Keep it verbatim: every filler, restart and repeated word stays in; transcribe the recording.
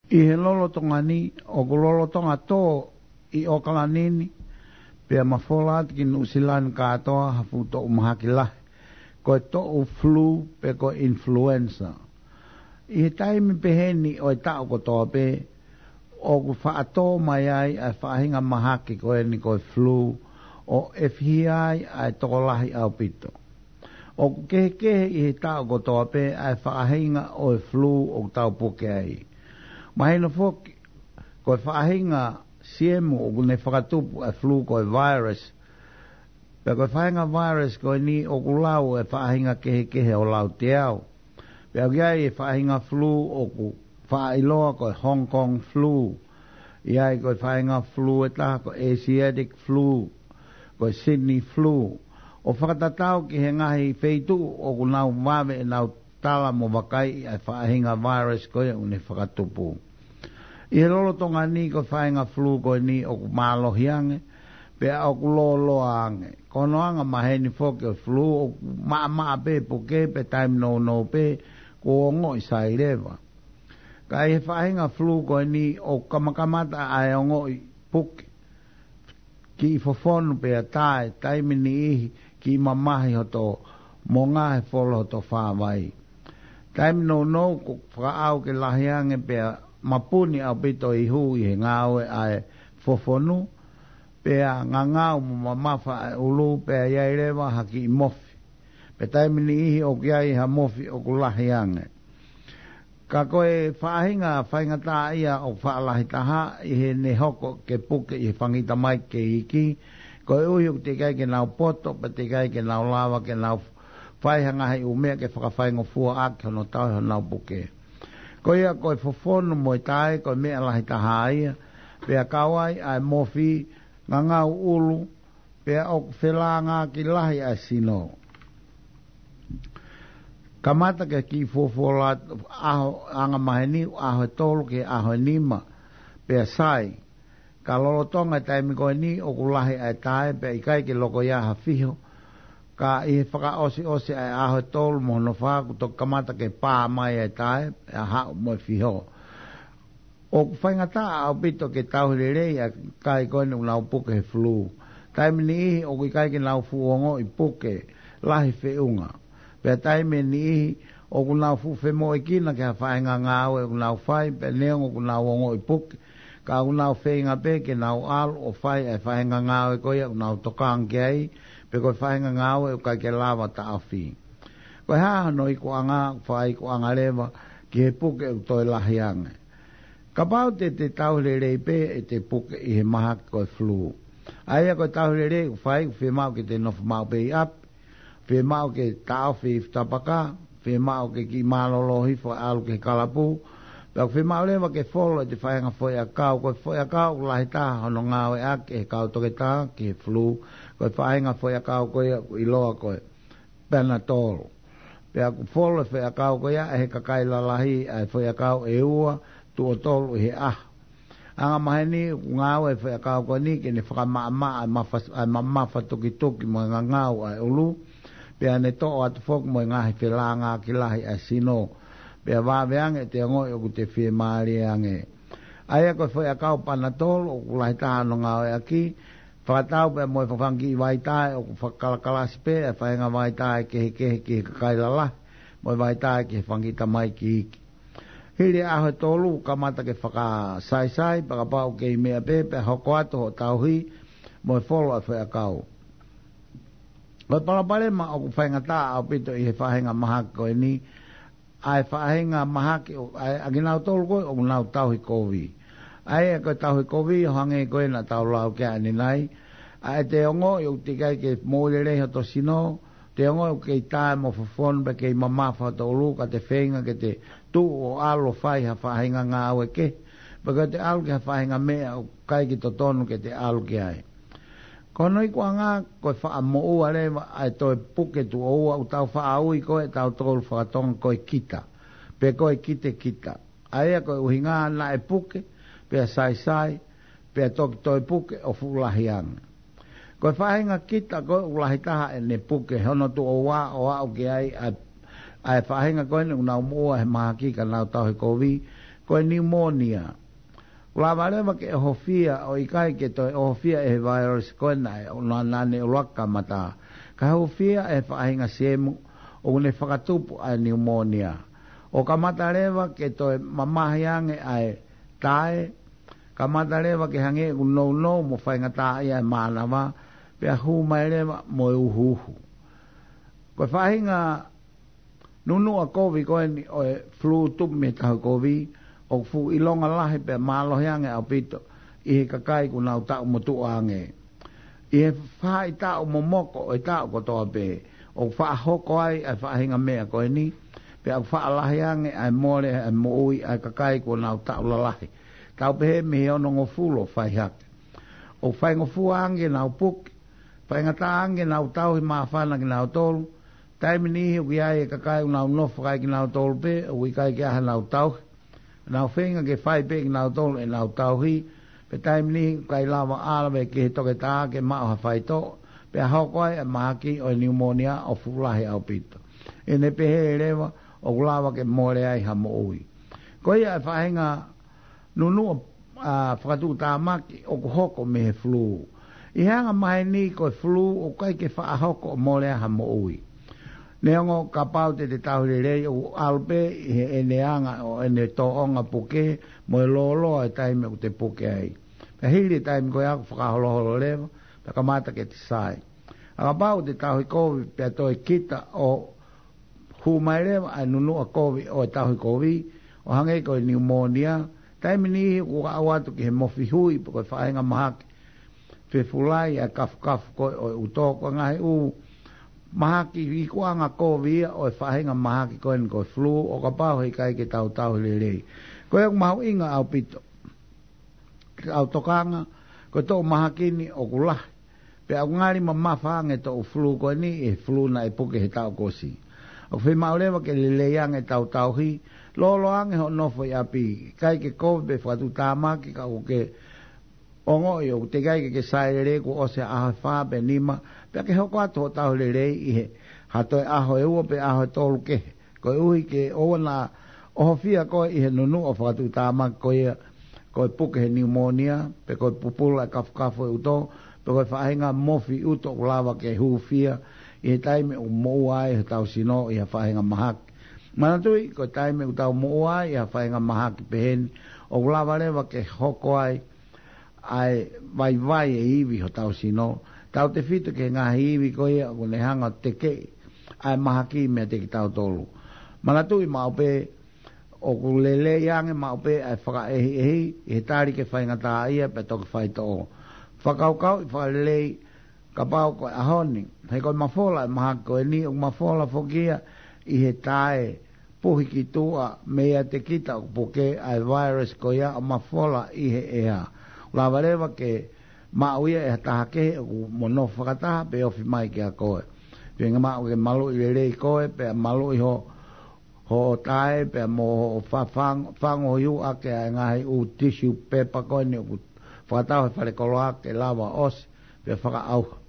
ʻI he lolotonga ni, ʻoku lolotonga tō ʻi ʻOkalani ni, pea mafola atu ki Nuʻusila ni kātoa ha fuʻu toʻu mahaki lahi, ko e toʻu flu pe ko e influenza. ʻI he taimi pehē ni ʻo e taʻu kotoa pē, ʻoku faʻa tō mai ai ʻa e faʻahinga mahaki ko eni ko e flu, ʻo ʻefihia ai ʻa e tokolahi ʻaupito. ʻOku kehekehe ʻi he taʻu kotoa pē ʻa e faʻahinga ʻo e flu ʻoku tau puke ai. Mahino foki, ko e faʻahinga siemu ʻoku ne fakatupu ʻa e flu ko e virus. Pea ko e faʻahinga virus ko eni ʻoku lau e faʻahinga kehekehe ʻo lauteau. Pea ʻoku ʻi ai e faʻahinga flu ʻoku faʻa ʻiloa ko e Hong Kong flu. ʻI ai ko e faʻahinga flu ʻe taha ko e Asiatic flu, ko e Sydney flu. ʻO fakatatau ki he ngaahi feituʻu ʻoku nau vave ʻenau tala mo vakaiʻi ʻa e faʻahinga virus ko ia ʻoku ne fakatupu. ʻI he lolotonga ni ko e faʻahinga flu ko eni ʻoku mālohi ange, pea ʻoku lōloa ange. Ko hono anga maheni foki ʻo e flu ʻoku maʻamaʻa pē puke pea taimi nounou pē kuo ongoʻi sai leva. Ka ʻi he faʻahinga flu ko eni ʻoku kamakamata ʻa e ongoʻi puke kiʻi fofonu pea tae, taimi niʻihi kiʻi mamahi hoto monga he folo hoto fāvai. Taimi nounou ʻoku fakaʻau ke lahi ange pea mapuni ʻaupito ʻi hū ʻi he ngāue ʻa e fofonu, pea ngangau mo mamafa ʻa e ʻulu pea ʻi ai leva ha kiʻi mofi. Pea taimi niʻihi ʻoku ʻi ai ha mofi ʻoku lahi ange. Ka ko e faʻahinga faingataʻaʻia ʻoku faʻa lahi taha ʻi heʻene hoko ke puke ʻi he fangitamaiki kei iiki, koeʻuhi ʻoku teʻeki ai ke nau poto, pea teʻeki ai ke nau lava ke nau fai ha ngaahi ʻū meʻa ke fakafaingofua ʻaki hono tauhi honau puke. Ko ia ko e fofonu mo e tae, ko e meʻa lahi taha ia, pea kau ai ʻa e mofi, ngangau ʻulu, pea ʻoku felāngaaki lahi ʻa e sino. Kamata ke kiʻi fuofuola ʻaho angamaheni, ʻaho ʻe tolu ki he ʻaho ʻe nima, pea sai. Ka lolotonga e taimi ko eni ʻoku lahi ʻa e tae, pea ʻikai ke loko ia ha fiho. Ka ʻi he fakaʻosiʻosi ʻa e ʻaho ʻe tolu mo hono fā kuo toki kamata ke pā mai ʻa e tae, pea haʻu mo e fiho. ʻOku faingataʻa ʻaupito ke tauhi lelei ʻa e kakai ko eni ʻoku nau puke he flu. Taimi niʻihi ʻoku ʻikai ke nau fuʻu ongoʻi puke lahi feʻunga. Pea taimi niʻihi ʻoku nau fuʻu femoʻuekina ki ha faʻahinga ngāue ʻoku nau fai, pea neongo ʻoku nau ongoʻi puke, ka ʻoku nau feinga pē ke nau ʻalu ʻo fai ʻa e faʻahinga ngāue ko ia ʻoku nau tokanga ki ai, pe ko e faʻahinga ngāue ʻoku ʻikai ke lava taʻofi. Ko e hā hono ikuʻanga, ʻoku fakaikuʻanga leva ki he puke ʻoku toe lahi ange. Kapau te te tauhi lelei pē ʻete puke ʻi he mahaki ko e flu. ʻA ia ko e tauhi lelei ʻoku fai, ʻoku fiemaʻu ke te nofo maʻu pē ʻi ʻapi, fiemaʻu ke taʻofi e fuʻu tapaka, fiemaʻu ke kiʻi mālōlō hifo ʻalu ki he kalapu, pea ʻoku fiemaʻu leva ke folo ʻete faʻahinga foʻiʻakau, ko e foʻiʻakau ʻoku lahi taha hono ngāueʻaki ʻe he kau toketā ki he flu, ko e faʻahinga foʻiʻakau ko ia ʻoku ʻiloa ko e Panadol. Pea ʻoku folo e foʻiʻakau ko ia ʻe he kakai lalahi ʻa e foʻiʻakau ʻe ua, tuʻo tolu ʻi he ʻaho. Angamaheni ʻoku ngāue e foʻiʻakau ko eni ke ne fakamaʻamaʻa ʻa e mafa, ʻa e mamafa tukituki mo e ngangau ʻa e ʻulu, pea ne toʻo atu foki mo e ngaahi felāngaaki lahi ʻa e sino. Pea vave ange ʻete ongoʻi ʻoku te fiemālie ange. ʻA ia ko e foʻiʻakau Panadol ʻoku lahi taha hono ngāueʻaki, fakatau pea mo e fanga kiʻi vaitae ʻoku fakakalakalasi pē ʻa e faʻahinga vaitae kehekehe ki he kakai lalahi, mo e vaitae ki he fanga kiʻi tamaiki iiki. Hili ʻaho ʻe tolu, kamata ke fakasaisai, pea kapau ʻoku kei meʻa pē, pea hoko atu hoʻo tauhi, mo e folo ʻa e foʻiʻakau. Ko e palopalema ʻoku faingataʻa ʻaupito ʻi he faʻahinga mahaki ko eni, ʻa e faʻahinga mahaki ʻo, ʻa e, ʻa kinautolu ko ē ʻoku nau tauhi kovi. ʻA ia ko e tauhi kovi ʻo hangē ko ē naʻa tau lau ki ai ʻanenai, ʻa ʻete ongoʻi ʻoku teʻeki ai ke moʻui lelei hoto sino, te ongoʻi ʻoku kei tae mo fofonu pea kei mamafa hoto ʻulu ka te feinga ke te tuʻu ʻo ʻalu ʻo fai ha faʻahinga ngāue kehe, pe ko ʻete ʻalu ki ha faʻahinga meʻa ʻoku ʻikai ke totonu ke te ʻalu ki ai. Ko hono ikuʻanga ko e faʻa moʻua leva ʻa e toe puke tuʻo ua ʻoku tau faʻa ui ko ē ʻe tautolu faka-Tonga ko e kita, pe ko e kitekita. ʻA ia ko e ʻuhinga naʻe puke, pea saisai, pea toki toe puke ʻo fuʻu lahi ange. Ko e faʻahinga kita ko ē ʻoku lahi taha ʻene puke hono tuʻo ua ʻo aʻu ki ai ʻa, ʻa e faʻahinga ko eni ʻoku nau moʻua he mahaki ka nau tauhi kovi, ko e niumōnia. ʻOku lava leva ke ʻohofia ʻo ʻikai ke toe ʻohofia ʻe he vailasi ko ena ʻe ʻo naʻa ne ʻuluaki kamata. Ka hūfia ʻe he faʻahinga siemu ʻoku ne fakatupu ʻa e niumōnia. ʻO kamata leva ke toe mamahi ange ʻa e tae, kamata leva ke hangē ʻoku nounou mo faingataʻaʻia ʻa e mānava, pea hū mai leva mo e uhuuhu. Ko e faʻahinga nunuʻa kovi ko eni ʻo e flu tupu mei he tauhi kovi, ʻoku fuʻu ʻilonga lahi pea mālohi ange ʻaupito ʻi he kakai kuo nau taʻu motuʻa ange. ʻI he faʻahitaʻu momoko ʻo e taʻu kotoa pē, ʻoku faʻa hoko ai ʻa e faʻahinga meʻa ko eni, pea ʻoku faʻa lahi ange ʻa e mole ʻa e moʻui ʻa e kakai kuo nau taʻu lalahi. Tau pehē mei he onongofulu ʻo fai hake. ʻOku faingofua ange ke nau puke, faingataʻa ange ke nau tauhi māfana kinautolu, taimi niʻihi ʻoku ʻi ai e kakai ʻoku nau nofo fakaekinautolu pē, ʻoku ʻikai ke ʻi ai hanau tauhi. Nau feinga ke fai pē kinautolu ʻenau tauhi, pea taimi niʻihi ʻoku ʻikai lava ʻo ʻalu ki he toketā ke maʻu ha faitoʻo, pea hoko ai ʻa e mahaki ʻo e niumōnia ʻo fuʻu lahi ʻaupito. ʻI heʻene pehē leva, ʻoku lava ke mole ai ha moʻui. Ko ia ʻa e faʻahinga nunuʻa, ʻa, fakatuʻutāmaki ʻoku hoko mei he flu. ʻI he anga maheni ko e flu ʻoku ʻikai ke faʻa hoko ʻo mole ai ha moʻui. Neongo kapau te te tauhi lelei ʻoku ʻalu pē ʻi heʻene anga ʻo ʻene tōʻonga puke mo e lōloa e taimi ʻoku te puke ai. Pea hili e taimi ko ia ʻoku fakaholoholo leva, pea kamata ke te sai. ʻA kapau te tauhi kovi pea toe kita ʻo hū mai leva ʻa e nunuʻa kovi ʻo e tauhi kovi, ʻo hangē ko e niumōnia, taimi niʻihi ʻoku aʻu atu ki he mofi hui pe ko e faʻahinga mahaki fefulai ʻa e kafukafu ko ē ʻo e ʻuto, ko e ngaahi ʻū mahaki ikuʻanga kovi ia ʻo e faʻahinga mahaki ko eni ko e flu, ʻo kapau he ʻikai ke tau tauhi lelei. Ko ia ʻoku mahuʻinga ʻaupito ke tau tokanga, ko e toʻu mahaki ni ʻoku lahi. Pea ʻoku ngali mamafa ange e toʻu flu ko eni ʻi he flu naʻe puke he taʻu kuo ʻosi. ʻOku fiemaʻu leva ke lelei ange ʻetau tauhi, lōloa ange hoʻo nofo ʻi ʻapi, ʻikai ke kovi pe fakatuʻutāmaki ka ʻoku ke ongoʻi ʻoku teʻeki ai ke ke sai lelei kuo ʻosi ha ʻaho ʻe fā pe nima, pea ke hoko atu hoʻo tauhi lelei ʻi he ha toe ʻaho ʻe ua pe ʻaho ʻe tolu kehe. Koeʻuhi ke ʻoua naʻa ʻohofia koe ʻi he nunuʻa fakatuʻutāmaki ko ia, ko e puke he niumōnia, pe ko e pupula e kafukafu e ʻuto, pe ko e faʻahinga mofi ʻuto ʻoku lava ke hūfia ʻi he taimi ʻoku moʻua ai hotau sino ʻi ha faʻahinga mahaki. Manatuʻi, ko e taimi ʻoku tau moʻua ai ʻi ha faʻahinga mahaki peheni, ʻoku lava leva ke hoko ai ʻa e vaivai e ivi hotau sino, tautefito ki he ngaahi ivi ko ia ʻoku ne hanga ʻo tekeʻi ʻa e mahaki meiate kitautolu. Manatuʻi maʻu pē, ʻoku lelei ange maʻu pē ʻa e fakaʻehiʻehi ʻi he tali ke faingataʻaʻia pea toki faitoʻo. Fakakaukauʻi fakalelei kapau ko e ʻaho ni, he ko e mafola e mahaki ko eni, ʻoku mafola foki ia ʻi he tae puhi ki tuʻa meiate kita ʻoku puke ʻa e virus ko ia ʻo mafola ʻi he ʻea. Lava leva ke maʻu ia ʻe ha taha kehe ʻoku mo nofo fakataha pe ofi mai kiate koe. Pea ʻe maʻu ke maluʻi lelei koe, pea maluʻi ho, ho tae, pea mo ho fafang-, fango hiu ake ʻa e ngaahi ʻū tissue paper ko eni ʻoku fakatau he falekoloa ke lava ʻosi, pea fakaʻauha.